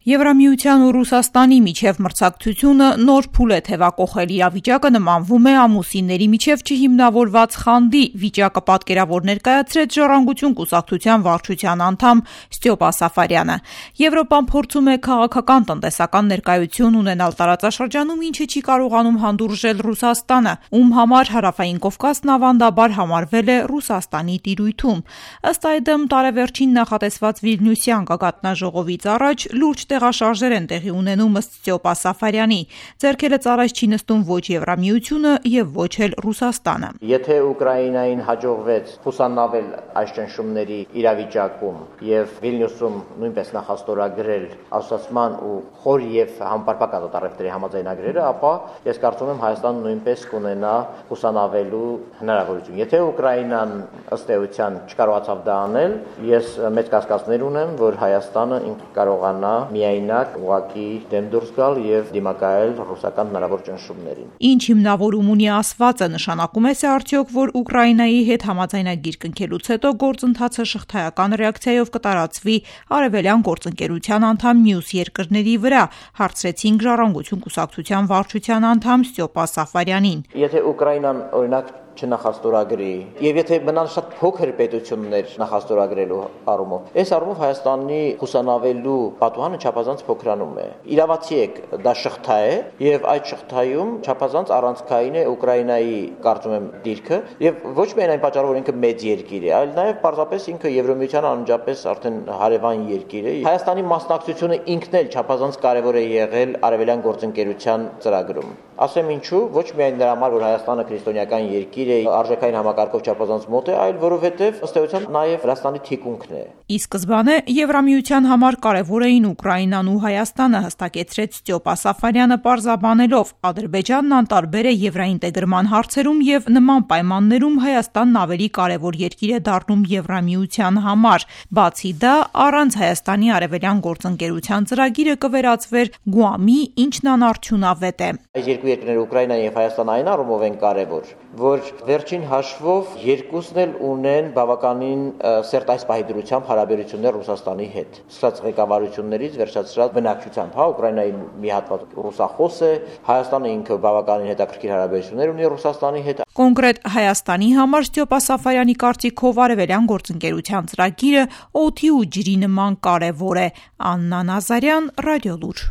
Եվրամիության ու Ռուսաստանի միջև մրցակցությունը նոր փուլ է թևակողել, իրավիճակը նմանվում է ամուսինների միջև չհիմնավորված խանդի, վիճակը պատկերավոր ներկայացրեց Ժառանգություն կուսակցության վարչության անդամ Ստյոպա Սաֆարյանը։ Եվրոպան փորձում է քաղաքական տնտեսական ներկայություն ունենալ տարածաշրջանում, ինչը չի կարողանում հանդուրժել Ռուսաստանը, ում համար Հարավային Կովկասն ավանդաբար համարվել է Ռուսաստանի տիրույթում։ Ըստ այդմ, տարեվերջին նախատեսված Վիլնյուսյան գագաթնաժողովից առաջ լուրջ տեղաշարժեր են տեղի ունենում ըստ Ստյոպա Սաֆարյանի։ Ձեռքերը ծառայց չի նստում ոչ Եվրամիությունը եւ ոչ էլ Ռուսաստանը։ Եթե Ուկրաինային հաջողվեց խուսանավել այս ճնշումների իրավիճակում եւ Վիլնյուսում նույնպես նախաստորագրել ասոցիացիան ու խոր եւ համապարփակ ազատարևտրի համաձայնագրերը, ապա ես կարծում եմ Հայաստանը նույնպես կունենա խուսանավելու հնարավորություն։ Եթե Ուկրաինան ըստ էության չկարողացավ դա անել, ես մեծ կասկածներ ունեմ, որ Հայաստանը ինքը կարողանա միայնակ ուղղակի դեմ դուրս գալ եւ դիմակայել ռուսական հնարավոր ճնշումներին։ Ինչ հիմնավորում ունի ասվածը, նշանակում է արդյոք, որ Ուկրաինայի հետ համաձայնագիր կնքելուց հետո գործընթացը շղթայական ռեակցիայով կտարածվի արևելյան գործընկերության անդամ մյուս երկրների վրա, հարցրեցինք Ժառանգություն կուսակցության վարչության անդամ Ստյոպա Սաֆարյանին։ Եթե Ուկրաինան օրինակ չնախաստորագրի եւ եթե մնան շատ փոքր պետություններ նախաստորագրելու առումով, այս առումով Հայաստանի խուսանավելու պատուհանը չափազանց փոքրանում է։ Իրավացի եք, դա շղթա է եւ այդ շղթայում չափազանց առանցքային է Ուկրաինայի, կարծում եմ, դիրքը եւ ոչ միայն այն պատճառով, որ ինքը մեծ երկիր է, այլ նաեւ պարզապես ինքը Եվրամիության անմիջապես արդեն հարևան երկիր է։ Հայաստանի մասնակցությունը ինքն էլ չափազանց կարեւոր է եղել արևելյան գործընկերության ծրագրում։ Ասեմ ինչու, ոչ միայն նրա համար, որ Հայաստանը քրիստոնեական երկիր է, արժեքային համակարգով չափազանց մոտ է, այլ որովհետև ըստ էության նաև Վրաստանի թիկունքն է։ Ի սկզբանե Եվրամիության համար կարևոր էին Ուկրաինան ու Հայաստանը, հստակեցրեց Ստյոպա Սաֆարյանը պարզաբանելով. Ադրբեջանն անտարբեր է եվրաինտեգրման հարցերում եւ նման պայմաններում Հայաստանն ավելի կարևոր երկիր է դառնում Եվրամիության համար։ Բացի դա, առանց Հայաստանի արևելյան գործընկերության ծրագիրը կվերածվեր Գուամի, ինչն անարդյունավետ է։ Այս երկու երկրները Ուկրաինան եւ Հայաստանը այն առումով են կարևոր, որ վերջին հաշվով երկուսն էլ ունեն բավականին սերտ այս պահի դրությամբ հարաբերություններ Ռուսաստանի հետ։ Սկսած ղեկավարություններից վերջացրած բնակչությամբ, Ուկրաինայի մի հատված ռուսախոս է, Հայաստանը ինքը բավականին հետաքրքիր հարաբերություններ ունի Ռուսաստանի հետ։ Կոնկրետ Հայաստանի համար Ստյոպա Սաֆարյանի կարծիքով արևելյան գործընկերության ծրագիրը օդի ու ջրի նման կարևոր է։ Աննա Նազարյան, Ռադիոլուր։